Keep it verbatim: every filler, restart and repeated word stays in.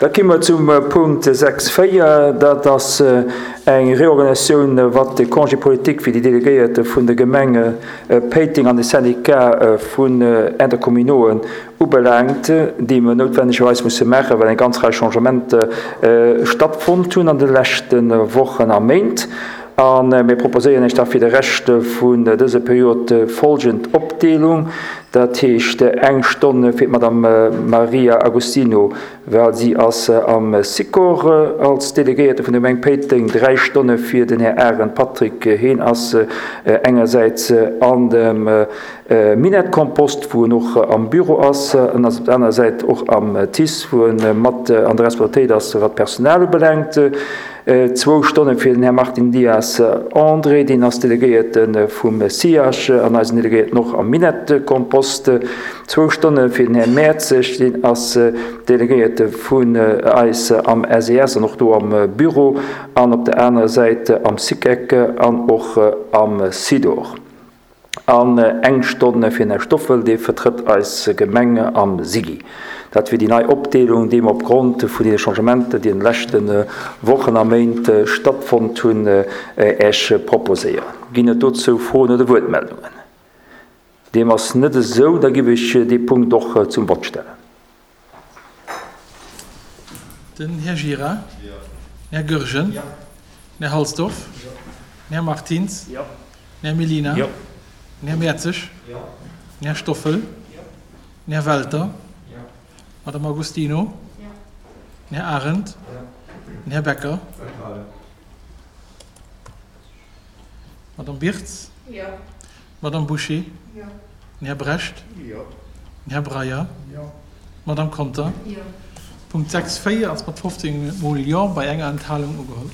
Da komme mer zum Punkt sechs véier. Dat ass eng Reorganisatioun, wat de Congé politique fir déi Delegéierte vun de Gemenge Péiteng an de Syndicat vun Intercommunauxen ubelaangt, déi mer noutwendegerweis musse maachen, well eng ganz Rei Changementer stattfonnt hunn an de leschte Wochen a Méint. A mir proposéieren Iech da fir de Rescht vun dëser Period folgend Opdeelung, dat heescht eng Stonn fir d'Madame Maria Agostino, well si ass am Sikor als Delegéierte vun der Gemeng Péiteng, dräi Stonne fir den Här Arendt Patrick, heen ass engersäits an dem Minett-Kompost, wou en och am Büro ass, en ass op der anerer Säit och am TICE, wou e mat an der Responsabilitéit ass, wat d'Personal ubelaangt. Zwou Stonne fir den Här Martin Dias André, deen ass Delegéierte vum SIAJ an eisen Delegéierten och am Minett-Kompost. Zwou Stonne fir den Här Mertzig, deen ass Delegéierte vun eis am S E S an och do am Büro an op der anerer Säit am SICEC an och am SIDOR. An eng Stonn fir den Här Stoffel, dee vertrëtt eis Gemeng am SIGI. Dat wier déi nei Opdeelung, déi mer opgrond vun deene Changementer, déi an de leschte Wochen a Méint stattfonnt hunn, Iech proposéieren. Ginn et dozou Froen oder Wuertmeldungen? Deem ass net esou, da giff ech dee Punkt och zum Vott stellen. Den Här Gira. Den Här Goergen. Den Här Halsdorf. Den Här Martins. Den Här Mellina. Den Här Mertzig. Den Här Stoffel. Den Här Welter. Madame Agostino. Den Här Arendt. Den Här Becker. Madame Birtz. Madame Bouché. Den Här Brecht. Den Här Breyer. Madame Conter. Punkt sechs véier ass mat fofzéng mol Jo bei enger Enthalung ugeholl.